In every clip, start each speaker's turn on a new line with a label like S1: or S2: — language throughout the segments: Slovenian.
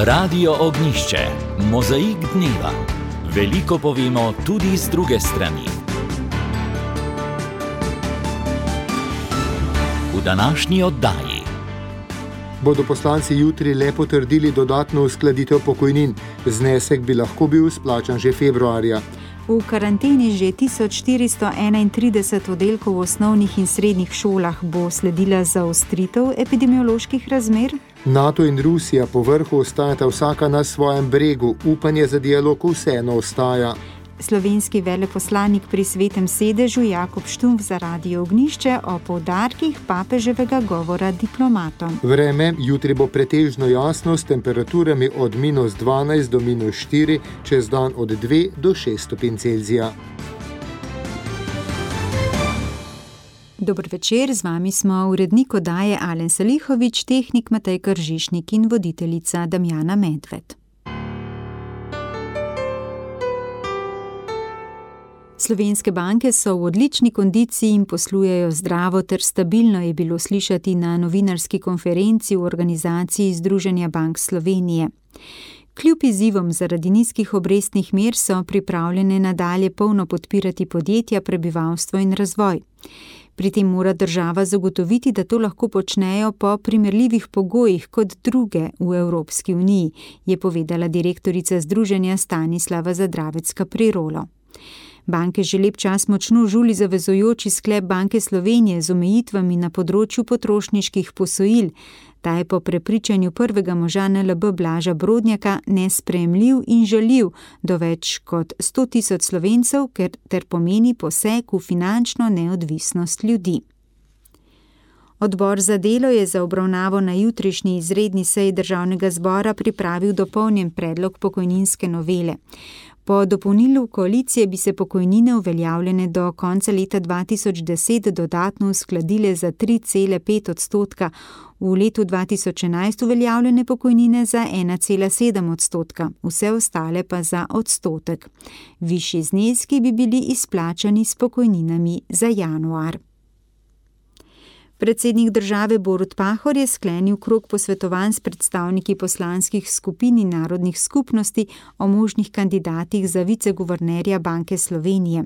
S1: Radio Ognjišče, mozaik dneva. Veliko povemo tudi z druge strani. V današnji oddaji
S2: bodo poslanci jutri le potrdili dodatno uskladitev pokojnin. Znesek bi lahko bil izplačan že februarja.
S3: V karanteni že 1431 oddelkov v osnovnih in srednjih šolah bo sledila zaostritev epidemioloških razmer.
S2: NATO in Rusija po vrhu ostajata vsaka na svojem bregu, upanje za dialog vseeno ostaja.
S3: Slovenski veleposlanik pri Svetem sedežu Jakob Štumpf za Radio Ognjišče o poudarkih papeževega govora diplomatom.
S2: Vreme jutri bo pretežno jasno s temperaturami od -12 do -4, čez dan od 2 do 6 stopinj Celzija.
S3: Dober večer, z vami smo urednik oddaje Alen Salihović, tehnik Matej Kržišnik in voditeljica Damjana Medved. Slovenske banke so v odlični kondiciji in poslujejo zdravo ter stabilno, je bilo slišati na novinarski konferenci v organizaciji Združenja bank Slovenije. Kljub izzivom zaradi nizkih obrestnih mer so pripravljene nadalje polno podpirati podjetja, prebivalstvo in razvoj. Pri tem mora država zagotoviti, da to lahko počnejo po primerljivih pogojih kot druge v Evropski uniji, je povedala direktorica združenja Stanislava Zadravec-Caprirolo. Banke že lep čas močno žuli zavezujoči sklep Banke Slovenije z omejitvami na področju potrošniških posojil. Ta je po prepričanju prvega moža NLB Blaža Brodnjaka nesprejemljiv in žaljiv do več kot 100 tisoč Slovencev, ter pomeni poseg v finančno neodvisnost ljudi. Odbor za delo je za obravnavo na jutrišnji izredni seji Državnega zbora pripravil dopolnjen predlog pokojninske novele. Po dopolnilu koalicije bi se pokojnine uveljavljene do konca leta 2010 dodatno uskladile za 3,5%, v letu 2011 uveljavljene pokojnine za 1,7%, vse ostale pa za odstotek. Višji zneski bi bili izplačani s pokojninami za januar. Predsednik države Borut Pahor je sklenil krog posvetovanj s predstavniki poslanskih skupin in narodnih skupnosti o možnih kandidatih za viceguvernerja Banke Slovenije.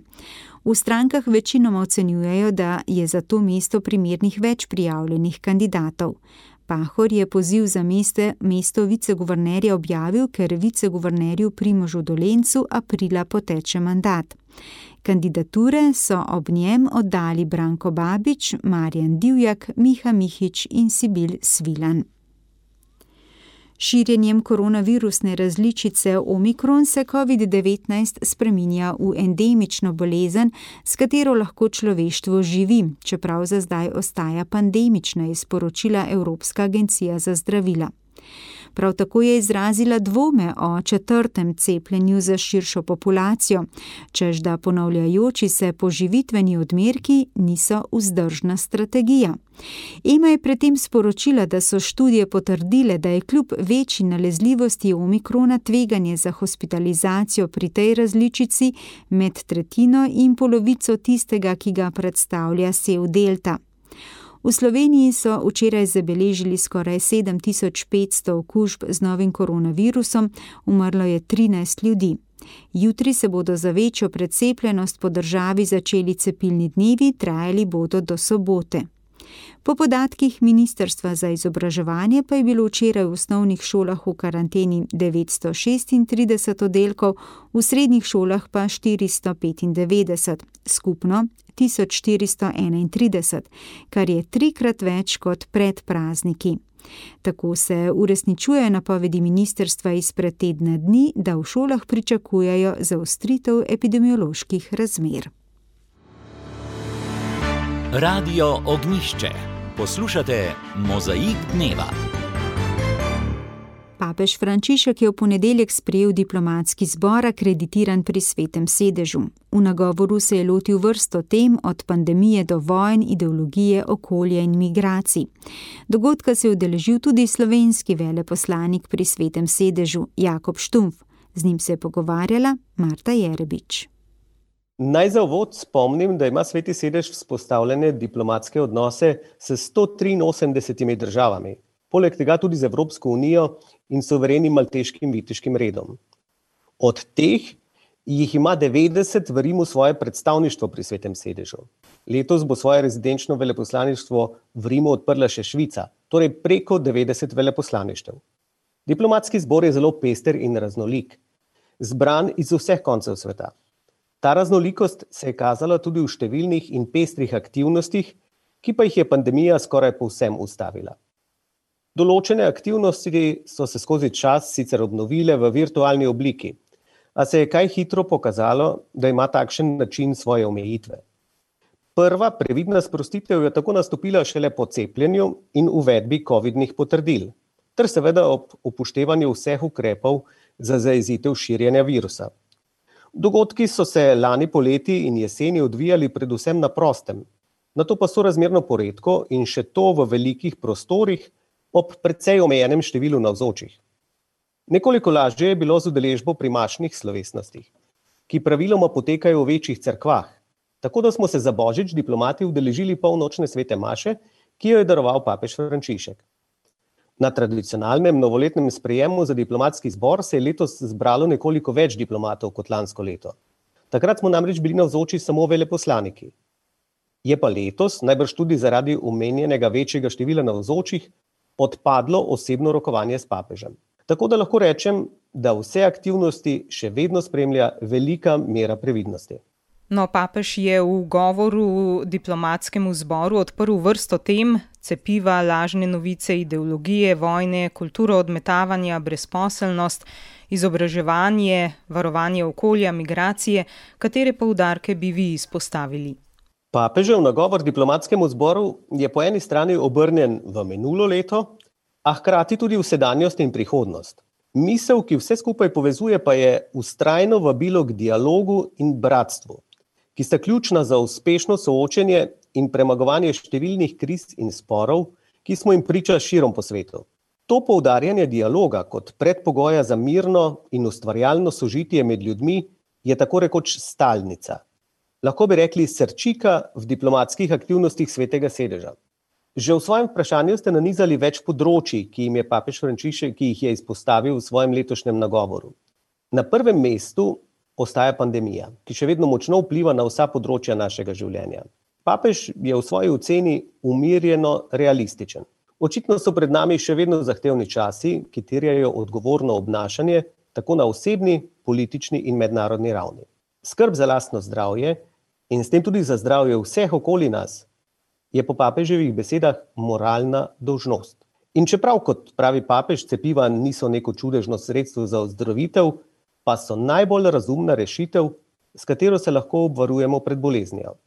S3: V strankah večinoma ocenjujejo, da je za to mesto primernih več prijavljenih kandidatov. Pahor je poziv za mesto viceguvernerja objavil, ker viceguvernerju Primožu Dolencu aprila poteče mandat. Kandidature so ob njem oddali Branko Babič, Marjan Divjak, Miha Mihič in Sibil Svilan. Širjenjem koronavirusne različice Omikron se COVID-19 spreminja v endemično bolezen, s katero lahko človeštvo živi, čeprav za zdaj ostaja pandemična, je sporočila Evropska agencija za zdravila. Prav tako je izrazila dvome o 4. cepljenju za širšo populacijo, čež da ponavljajoči se poživitveni odmerki niso vzdržna strategija. EMA je predtem sporočila, da so študije potrdile, da je kljub večji nalezljivosti omikrona tveganje za hospitalizacijo pri tej različici med tretjino in polovico tistega, ki ga predstavlja sev delta. V Sloveniji so včeraj zabeležili skoraj 7500 okužb z novim koronavirusom, umrlo je 13 ljudi. Jutri se bodo za večjo precepljenost po državi začeli cepilni dnevi, trajali bodo do sobote. Po podatkih Ministrstva za izobraževanje pa je bilo včeraj v osnovnih šolah v karanteni 936 oddelkov, v srednjih šolah pa 495, skupno 1431, kar je 3-krat več kot pred prazniki. Tako se uresničujejo napovedi ministrstva izpred tedna dni, da v šolah pričakujejo zaostritev epidemioloških razmer.
S1: Radio Ognjišče. Poslušate Mozaik dneva.
S3: Papež Frančišek je v ponedeljek sprejel diplomatski zbor, akreditiran pri Svetem sedežu. V nagovoru se je lotil vrsto tem, od pandemije do vojn, ideologije, okolja in migracij. Dogodka se je udeležil tudi slovenski veleposlanik pri Svetem sedežu Jakob Štumpf. Z njim se je pogovarjala Marta Jerebič.
S4: Naj za uvod spomnim, da ima Sveti sedež vzpostavljene diplomatske odnose s 183 državami. poleg tega tudi z Evropsko unijo in suverenim malteškim viteškim redom. Od teh jih ima 90 v Rimu svoje predstavništvo pri Svetem sedežu. Letos bo svoje rezidenčno veleposlaništvo v Rimu odprla še Švica, torej preko 90 veleposlaništev. Diplomatski zbor je zelo pester in raznolik, zbran iz vseh koncev sveta. Ta raznolikost se je kazala tudi v številnih in pestrih aktivnostih, ki pa jih je pandemija skoraj povsem ustavila. Določene aktivnosti so se skozi čas sicer obnovile v virtualni obliki, a se je kaj hitro pokazalo, da ima takšen način svoje omejitve. Prva previdna sprostitev je tako nastopila šele po cepljenju in uvedbi covidnih potrdil, ter seveda ob upoštevanju vseh ukrepov za zajezitev širjenja virusa. Dogodki so se lani poleti in jeseni odvijali predvsem na prostem, nato pa sorazmerno poredko in še to v velikih prostorih ob precej omejenem številu navzočih. Nekoliko lažje je bilo z udeležbo pri mašnih slovesnostih, ki praviloma potekajo v večjih cerkvah, tako da smo se za Božič diplomati udeležili polnočne svete maše, ki jo je daroval papež Frančišek. Na tradicionalnem novoletnem sprejemu za diplomatski zbor se je letos zbralo nekoliko več diplomatov kot lansko leto. Takrat smo namreč bili navzoči samo veleposlaniki. Je pa letos, najbrž tudi zaradi omenjenega večjega števila navzočih, odpadlo osebno rokovanje s papežem. Tako da lahko rečem, da vse aktivnosti še vedno spremlja velika mera previdnosti.
S5: No, papež je v govoru diplomatskemu zboru odprl vrsto tem: cepiva, lažne novice, ideologije, vojne, kulturo odmetavanja, brezposelnost, izobraževanje, varovanje okolja, migracije. Katere poudarke bi vi izpostavili?
S4: Papežev nagovor diplomatskemu zboru je po eni strani obrnjen v minulo leto, a hkrati tudi v sedanjost in prihodnost. Misel, ki vse skupaj povezuje, pa je vztrajno vabilo k dialogu in bratstvu, ki sta ključna za uspešno soočenje in premagovanje številnih kriz in sporov, ki smo jim priča širom po svetu. To poudarjanje dialoga kot predpogoja za mirno in ustvarjalno sožitje med ljudmi je tako rekoč stalnica. Lahko bi rekli srčika v diplomatskih aktivnostih Svetega sedeža. Že v svojem vprašanju ste nanizali več področij, ki jih je papež Frančišek izpostavil v svojem letošnjem nagovoru. Na prvem mestu ostaja pandemija, ki še vedno močno vpliva na vsa področja našega življenja. Papež je v svoji oceni umirjeno realističen. Očitno so pred nami še vedno zahtevni časi, ki terjajo odgovorno obnašanje tako na osebni, politični in mednarodni ravni. Skrb za lastno zdravje in s tem tudi za zdravje vseh okoli nas je po papeževih besedah moralna dolžnost. In čeprav, kot pravi papež, cepiva niso neko čudežno sredstvo za ozdravitev, pa so najbolj razumna rešitev, s katero se lahko obvarujemo pred boleznijo.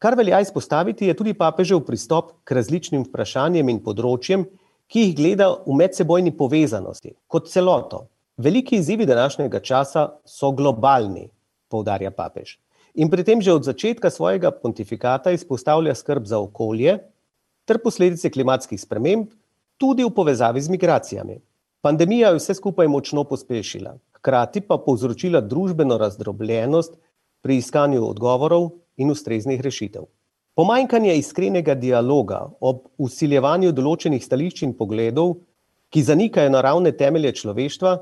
S4: Kar velja izpostaviti, je tudi papežev pristop k različnim vprašanjem in področjem, ki jih gleda v medsebojni povezanosti, kot celoto. Veliki izzivi današnjega časa so globalni, poudarja papež. In pri tem že od začetka svojega pontifikata izpostavlja skrb za okolje ter posledice klimatskih sprememb, tudi v povezavi z migracijami. Pandemija je vse skupaj močno pospešila, hkrati pa povzročila družbeno razdrobljenost pri iskanju odgovorov in ustreznih rešitev. Pomanjkanje iskrenega dialoga ob vsiljevanju določenih stališč in pogledov, ki zanikajo naravne temelje človeštva,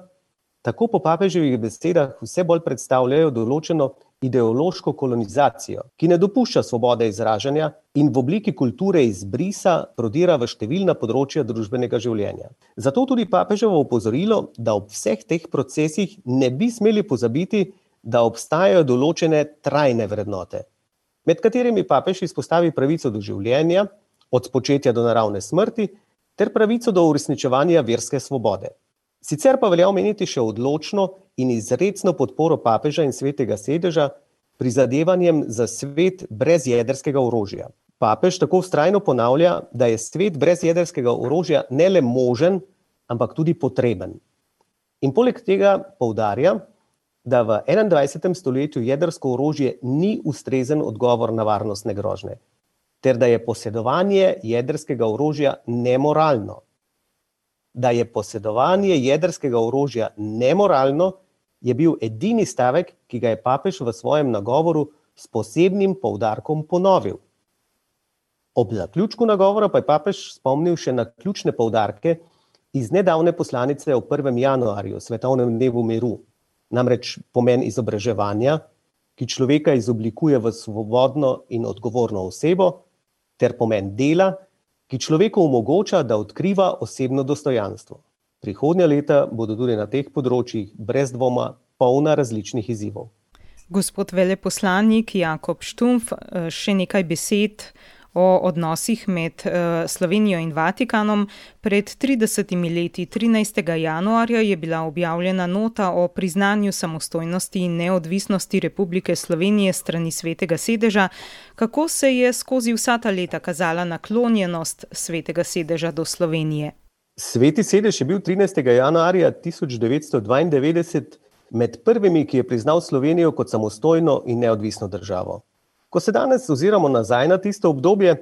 S4: tako po papeževih besedah vse bolj predstavljajo določeno ideološko kolonizacijo, ki ne dopušča svobode izražanja in v obliki kulture izbrisa prodira v številna področja družbenega življenja. Zato tudi papeževo opozorilo, da ob vseh teh procesih ne bi smeli pozabiti, da obstajajo določene trajne vrednote, med katerimi papež izpostavi pravico do življenja, od spočetja do naravne smrti, ter pravico do uresničevanja verske svobode. Sicer pa velja omeniti še odločno in izrecno podporo papeža in Svetega sedeža prizadevanjem za svet brez jedrskega orožja. Papež tako vztrajno ponavlja, da je svet brez jedrskega orožja ne le možen, ampak tudi potreben. In poleg tega poudarja, da v 21. stoletju jedrsko orožje ni ustrezen odgovor na varnostne grožnje, ter da je posedovanje jedrskega orožja nemoralno. Da je posedovanje jedrskega orožja nemoralno, je bil edini stavek, ki ga je papež v svojem nagovoru s posebnim poudarkom ponovil. Ob zaključku nagovora pa je papež spomnil še na ključne poudarke iz nedavne poslanice o 1. januarju, svetovnem dnevu miru. Namreč pomen izobraževanja, ki človeka izoblikuje v svobodno in odgovorno osebo, ter pomen dela, ki človeku omogoča, da odkriva osebno dostojanstvo. Prihodnja leta bodo tudi na teh področjih brez dvoma polna različnih izzivov.
S5: Gospod veleposlanik Jakob Štumpf, še nekaj besed o odnosih med Slovenijo in Vatikanom. Pred 30 leti, 13. januarja, je bila objavljena nota o priznanju samostojnosti in neodvisnosti Republike Slovenije strani Svetega sedeža. Kako se je skozi vsa ta leta kazala naklonjenost Svetega sedeža do Slovenije?
S4: Sveti sedež je bil 13. januarja 1992 med prvimi, ki je priznal Slovenijo kot samostojno in neodvisno državo. Ko se danes oziramo nazaj na tisto obdobje,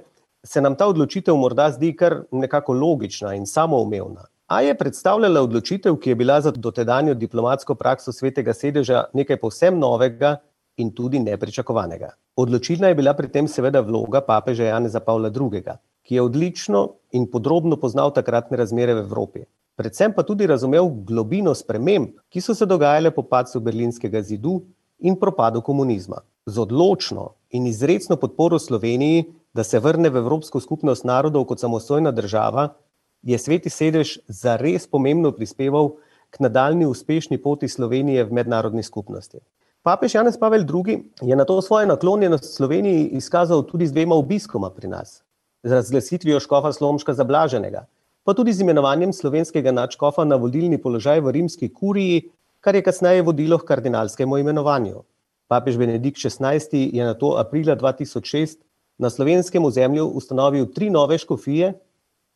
S4: se nam ta odločitev morda zdi kar nekako logična in samoumevna. A je predstavljala odločitev, ki je bila za dotedanjo diplomatsko prakso Svetega sedeža nekaj povsem novega in tudi nepričakovanega. Odločilna je bila pri tem seveda vloga papeža Janeza Pavla II., ki je odlično in podrobno poznal takratne razmere v Evropi. Predvsem pa tudi razumel globino sprememb, ki so se dogajale po padcu Berlinskega zidu in propadu komunizma. Z odločno in izrecno podporo Sloveniji, da se vrne v Evropsko skupnost narodov kot samostojna država, je Sveti sedež zares pomembno prispeval k nadaljnji uspešni poti Slovenije v mednarodni skupnosti. Papež Janez Pavel II. Je na to svojo naklonjenost Sloveniji izkazal tudi z 2 obiskoma pri nas. Z razglasitvijo škofa Slomška za blaženega, pa tudi z imenovanjem slovenskega nadškofa na vodilni položaj v rimski kuriji, kar je kasneje vodilo k kardinalskemu imenovanju. Papež Benedikt XVI. Je nato aprila 2006 na slovenskem ozemlju ustanovil 3 nove škofije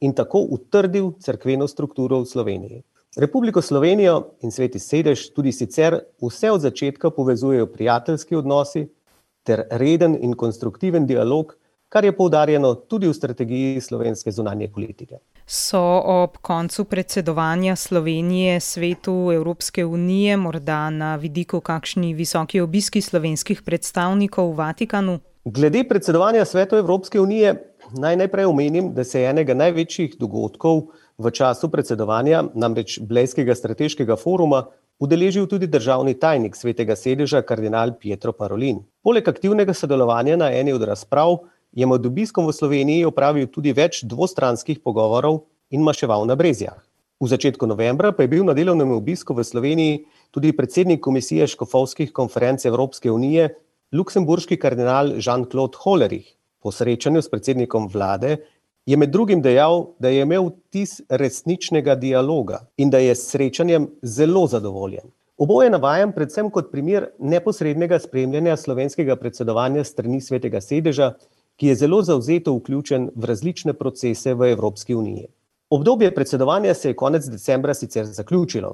S4: in tako utrdil cerkveno strukturo v Sloveniji. Republiko Slovenijo in Sveti sedež tudi sicer vse od začetka povezujejo prijateljski odnosi ter reden in konstruktiven dialog, kar je poudarjeno tudi v strategiji slovenske zunanje politike.
S5: So ob koncu predsedovanja Slovenije Svetu Evropske unije morda na vidiku kakšni visoki obiski slovenskih predstavnikov v Vatikanu?
S4: Glede predsedovanja Svetu Evropske unije naj najprej omenim, da se je enega največjih dogodkov v času predsedovanja, namreč Blejskega strateškega foruma, udeležil tudi državni tajnik Svetega sedeža kardinal Pietro Parolin. Poleg aktivnega sodelovanja na eni od razprav je med obiskom v Sloveniji opravil tudi več dvostranskih pogovorov in maševal na Brezjah. V začetku novembra pa je bil na delovnem obisku v Sloveniji tudi predsednik Komisije škofovskih konferenc Evropske unije, luksemburški kardinal Jean-Claude Hollerich. Po srečanju s predsednikom vlade je med drugim dejal, da je imel vtis resničnega dialoga in da je s srečanjem zelo zadovoljen. Oboje navajam predvsem kot primer neposrednega spremljanja slovenskega predsedovanja strani Svetega sedeža, ki je zelo zavzeto vključen v različne procese v Evropski uniji. Obdobje predsedovanja se je konec decembra sicer zaključilo,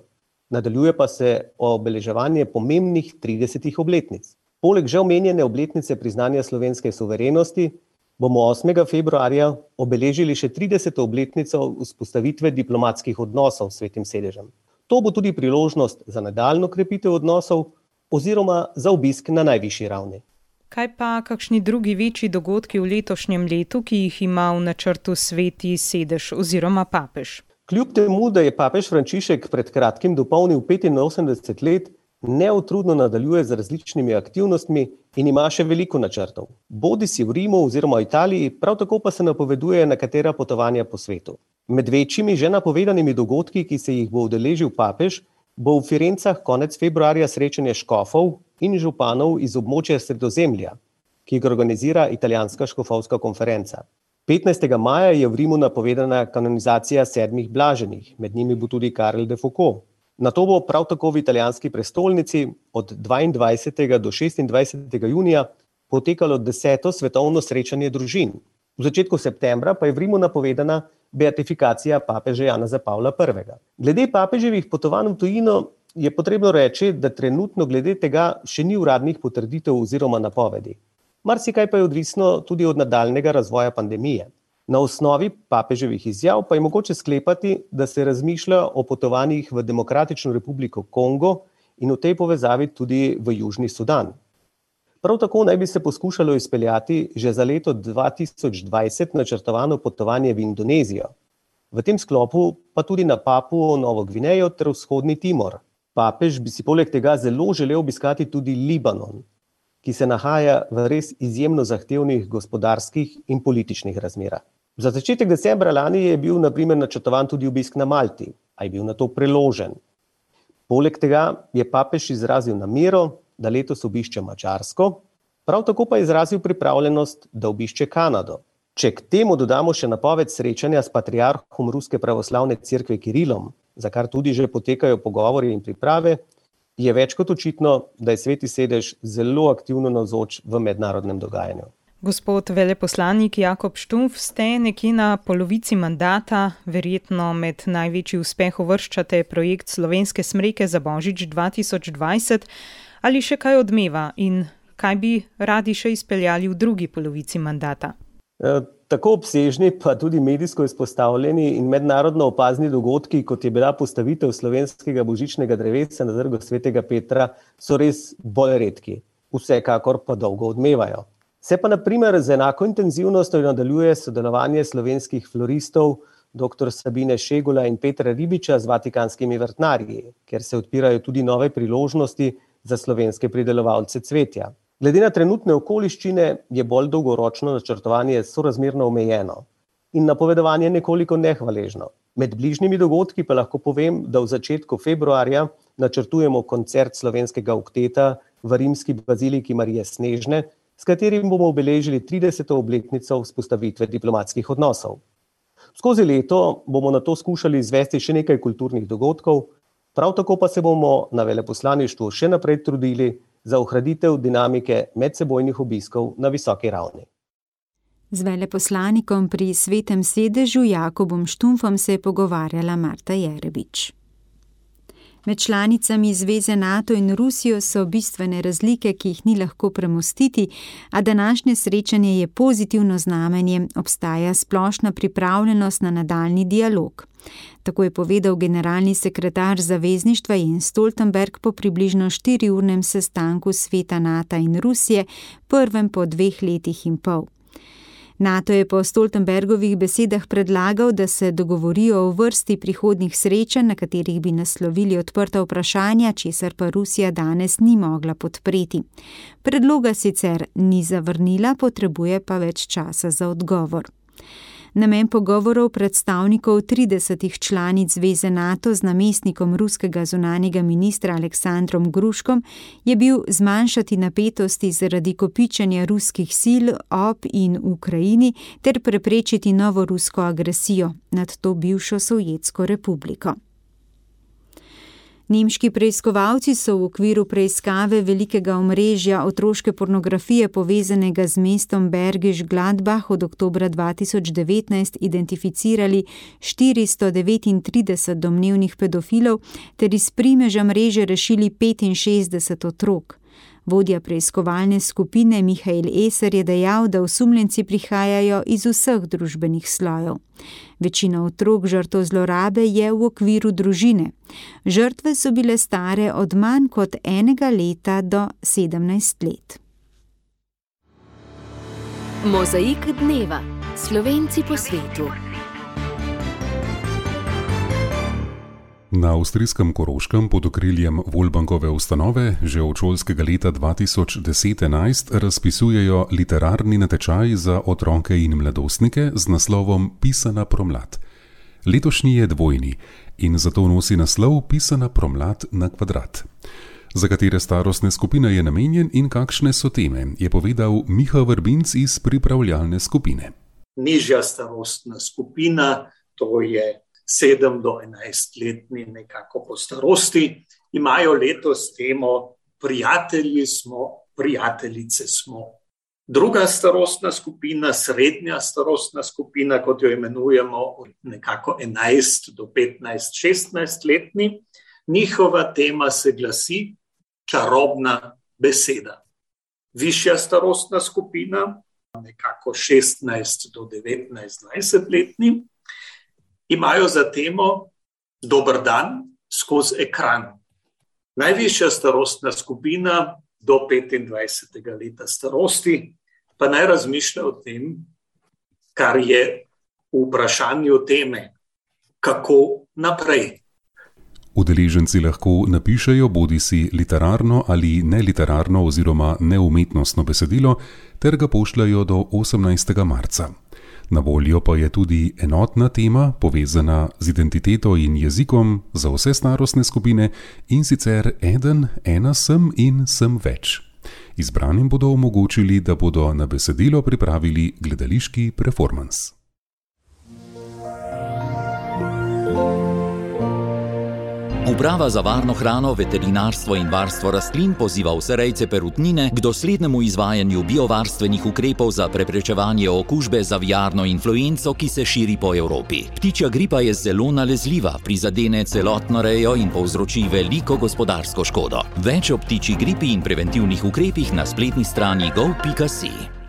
S4: nadaljuje pa se obeleževanje pomembnih 30 obletnic. Poleg že omenjene obletnice priznanja slovenske suverenosti bomo 8. februarja obeležili še 30. obletnico vzpostavitve diplomatskih odnosov s Svetim sedežem. To bo tudi priložnost za nadaljnjo krepitev odnosov oziroma za obisk na najvišji ravni.
S5: Kaj pa kakšni drugi večji dogodki v letošnjem letu, ki jih ima v načrtu Sveti sedež oziroma papež?
S4: Kljub temu, da je papež Frančišek pred kratkim dopolnil 85 let, neutrudno nadaljuje z različnimi aktivnostmi in ima še veliko načrtov. Bodisi v Rimu oziroma Italiji, prav tako pa se napoveduje nekatera potovanja po svetu. Med večjimi že napovedanimi dogodki, ki se jih bo udeležil papež, bo v Firencah konec februarja srečanje škofov in županov iz območja Sredozemlja, ki ga organizira Italijanska škofovska konferenca. 15. maja je v Rimu napovedana kanonizacija 7 blaženih, med njimi bo tudi Karel de Foucault. Nato bo prav tako v italijanski prestolnici od 22. do 26. junija potekalo 10. svetovno srečanje družin. V začetku septembra pa je v Rimu napovedana beatifikacija papeža Janeza Pavla I. Glede papeževih potovanj v tujino je potrebno reči, da trenutno glede tega še ni uradnih potrditev oziroma napovedi. Marsikaj pa je odvisno tudi od nadaljnjega razvoja pandemije. Na osnovi papeževih izjav pa je mogoče sklepati, da se razmišlja o potovanjih v Demokratično republiko Kongo in v tej povezavi tudi v Južni Sudan. Prav tako naj bi se poskušalo izpeljati že za leto 2020 načrtovano potovanje v Indonezijo. V tem sklopu pa tudi na Papuo Novo Gvinejo ter vzhodni Timor. Papež bi si poleg tega zelo želel obiskati tudi Libanon, ki se nahaja v res izjemno zahtevnih gospodarskih in političnih razmerah. Za začetek decembra lani je bil na primer načrtovan tudi obisk na Malti, a je bil na to preložen. Poleg tega je papež izrazil namero, da letos obišče Madžarsko, prav tako pa je izrazil pripravljenost, da obišče Kanado. Če k temu dodamo še napoved srečanja s patriarhom Ruske pravoslavne cerkve Kirilom, za kar tudi že potekajo pogovori in priprave, je več kot očitno, da je Sveti sedež zelo aktivno navzoč v mednarodnem dogajanju.
S5: Gospod veleposlanik Jakob Štumpf, ste nekje na polovici mandata, verjetno med največji uspeh uvrščate projekt Slovenske smreke za Božič 2020. Ali še kaj odmeva in kaj bi radi še izpeljali v drugi polovici mandata?
S4: Tako obsežni, pa tudi medijsko izpostavljeni in mednarodno opazni dogodki, kot je bila postavitev slovenskega božičnega drevesa na Trgu svetega Petra, so res bolj redki. Vsekakor pa dolgo odmevajo. Se pa na primer z enako intenzivnostjo nadaljuje sodelovanje slovenskih floristov dr. Sabine Šegula in Petra Ribiča z vatikanskimi vrtnarji, ker se odpirajo tudi nove priložnosti za slovenske pridelovalce cvetja. Glede na trenutne okoliščine je bolj dolgoročno načrtovanje sorazmerno omejeno in napovedovanje nekoliko nehvaležno. Med bližnjimi dogodki pa lahko povem, da v začetku februarja načrtujemo koncert slovenskega okteta v rimski baziliki Marije Snežne, s katerim bomo obeležili 30. obletnico vzpostavitve diplomatskih odnosov. Skozi leto bomo na to skušali izvesti še nekaj kulturnih dogodkov, prav tako pa se bomo na veleposlaništvu še naprej trudili za ohranitev dinamike medsebojnih obiskov na visoki ravni.
S3: Z veleposlanikom pri Svetem sedežu Jakobom Štumpfom se je pogovarjala Marta Jerebič. Med članicami zveze NATO in Rusijo so bistvene razlike, ki jih ni lahko premostiti, a današnje srečanje je pozitivno znamenje, obstaja splošna pripravljenost na nadaljnji dialog. Tako je povedal generalni sekretar zavezništva Jens Stoltenberg po približno 4-urnem sestanku sveta NATO in Rusije, prvem po 2 letih in pol. NATO je po Stoltenbergovih besedah predlagal, da se dogovorijo o vrsti prihodnjih srečanj, na katerih bi naslovili odprta vprašanja, česar pa Rusija danes ni mogla podpreti. Predloga sicer ni zavrnila, potrebuje pa več časa za odgovor. Namen pogovorov predstavnikov 30 članic zveze NATO z namestnikom ruskega zunanjega ministra Aleksandrom Gruškom je bil zmanjšati napetosti zaradi kopičenja ruskih sil ob in v Ukrajini ter preprečiti novo rusko agresijo nad to bivšo Sovjetsko republiko. Nemški preiskovalci so v okviru preiskave velikega omrežja otroške pornografije povezanega z mestom Bergisch Gladbach od oktobra 2019 identificirali 439 domnevnih pedofilov ter iz primeža mreže rešili 65 otrok. Vodja preiskovalne skupine Mihael Eser je dejal, da osumljenci prihajajo iz vseh družbenih slojev. Večina otrok žrtev zlorabe je v okviru družine. Žrtve so bile stare od manj kot 1 leta do 17 let.
S6: Mozaik dneva. Slovenci po svetu.
S7: Na avstrijskem Koroškem pod okriljem Volbankove ustanove že od šolskega leta 2010-11 razpisujejo literarni natečaj za otroke in mladostnike z naslovom Pisana promlad. Letošnji je dvojni in zato nosi naslov Pisana promlad na kvadrat. Za katere starostne skupine je namenjen in kakšne so teme, je povedal Miha Vrbinc iz pripravljalne skupine.
S8: Nižja starostna skupina, to je 7 do 11-letni nekako po starosti, imajo letos temo Prijatelji smo, prijateljice smo. Druga starostna skupina, srednja starostna skupina, kot jo imenujemo, nekako 11 do 15-16-letni, njihova tema se glasi Čarobna beseda. Višja starostna skupina, nekako 16 do 19-20-letni, imajo za temo Dober dan skozi ekran. Najvišja starostna skupina do 25. leta starosti, pa naj razmišlja o tem, kar je v vprašanju teme, kako naprej.
S7: Udeleženci lahko napišejo bodisi literarno ali neliterarno oziroma neumetnostno besedilo ter ga pošljajo do 18. marca. Na voljo pa je tudi enotna tema, povezana z identiteto in jezikom za vse starostne skupine, in sicer ena sem in sem več. Izbranim bodo omogočili, da bodo na besedilo pripravili gledališki performans.
S1: Uprava za varno hrano, veterinarstvo in varstvo rastlin poziva vse rejce perutnine k doslednemu izvajanju biovarstvenih ukrepov za preprečevanje okužbe z aviarno influenco, ki se širi po Evropi. Ptičja gripa je zelo nalezljiva, prizadene celotno rejo in povzroči veliko gospodarsko škodo. Več o ptičji gripi in preventivnih ukrepih na spletni strani gov.si.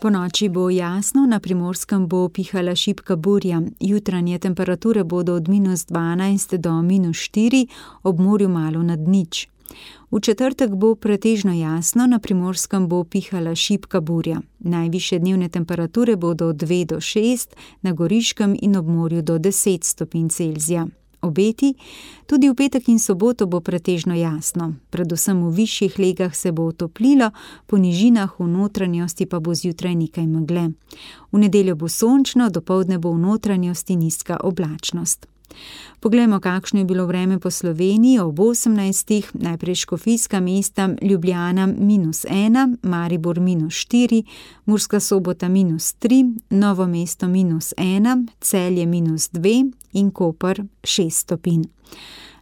S3: Po noči bo jasno, na Primorskem bo pihala šibka burja. Jutranje temperature bodo od -12 do -4, ob morju malo nad nič. V četrtek bo pretežno jasno, na Primorskem bo pihala šibka burja. Najvišje dnevne temperature bodo od 2 do 6, na Goriškem in ob morju do 10 stopinj Celzija. Obeti, tudi v petek in soboto bo pretežno jasno. Predvsem v višjih legah se bo otoplilo, po nižinah v notranjosti pa bo zjutraj nekaj megle. V nedeljo bo sončno, dopoldne bo v notranjosti nizka oblačnost. Poglejmo, kakšno je bilo vreme po Sloveniji ob 18. Najprej Škofijska mesta, Ljubljana -1, Maribor -4, Murska Sobota -3, Novo mesto -1, Celje -2 in Koper 6 stopinj.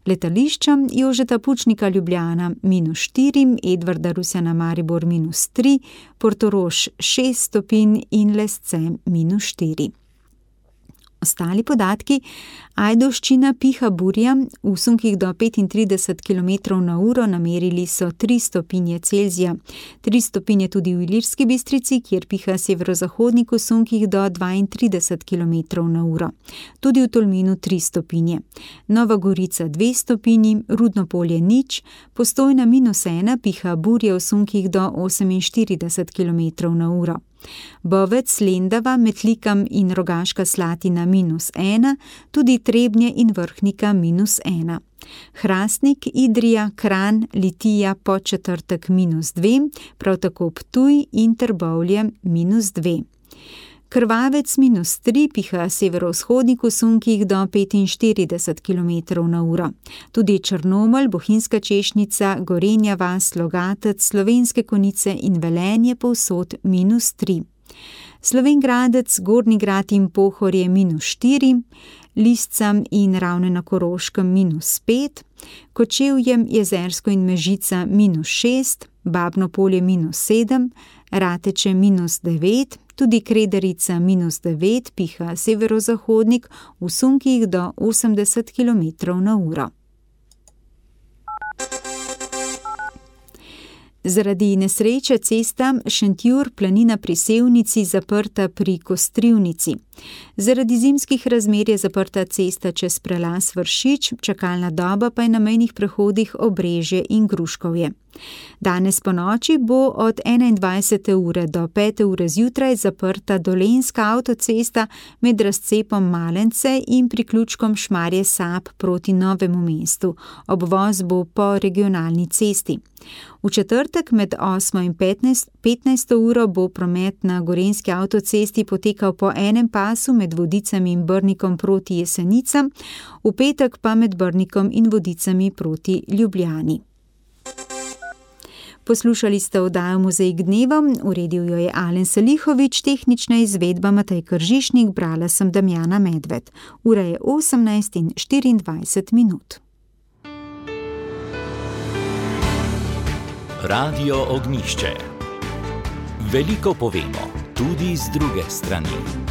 S3: Letališča Jožeta Pučnika Ljubljana -4, Edvarda Rusjana Maribor -3, Portorož 6 stopinj in Lesce -4. Ostali podatki: Ajdovščina piha burja, v sunkih do 35 km/h namerili so 3 stopinje Celzija. 3 stopinje tudi v Ilirski Bistrici, kjer piha severozahodnik v sunkih do 32 km/h. Tudi v Tolminu 3 stopinje. Nova Gorica 2 stopinji, Rudno Polje 0, Postojna -1, piha burja v sunkih do 48 km/h. Bovec, Lendava, Metlikam in Rogaška Slatina -1, tudi Trebnje in Vrhnika -1. Hrastnik, Idrija, Kranj, Litija, Podčetrtek -2, prav tako Ptuj in Trbovlje -2. Krvavec -3, piha severovzhodnik v sunkih do 45 km/h. Tudi Črnomelj, Bohinjska Češnica, Gorenja vas, Logatec, Slovenske Konjice in Velenje povsod -3. Slovenj Gradec, Gornji Grad in Pohorje -4, Lisca in Ravne na Koroškem -5, Kočevje, Jezersko in Mežica -6, Babno Polje -7, Rateče -9, tudi Krederica -9, piha severozahodnik v sunkih do 80 km/h. Zaradi nesreče cesta Šentjur-Planina pri Sevnici zaprta pri Kostrivnici. Zaradi zimskih razmer je zaprta cesta čez prelaz Vršič, čakalna doba pa je na mejnih prehodih Obrežje in Gruškovje. Danes po noči bo od 21. ure do 5. ure zjutraj zaprta Dolenjska avtocesta med razcepom Malence in priključkom Šmarje Sap proti Novemu mestu. Obvoz bo po regionalni cesti. V četrtek med 8. in 15. uro bo promet na Gorenjski avtocesti potekal po enem pasu med Vodicami in Brnikom proti Jesenicam, v petek pa med Brnikom in Vodicami proti Ljubljani. Poslušali ste oddajo Mozaik dneva, uredil jo je Alen Salihovič, tehnična izvedba Matej Kržišnik, brala sem Damjana Medved. Ura je 18:24.
S1: Radio Ognjišče. Veliko povemo, tudi z druge strani.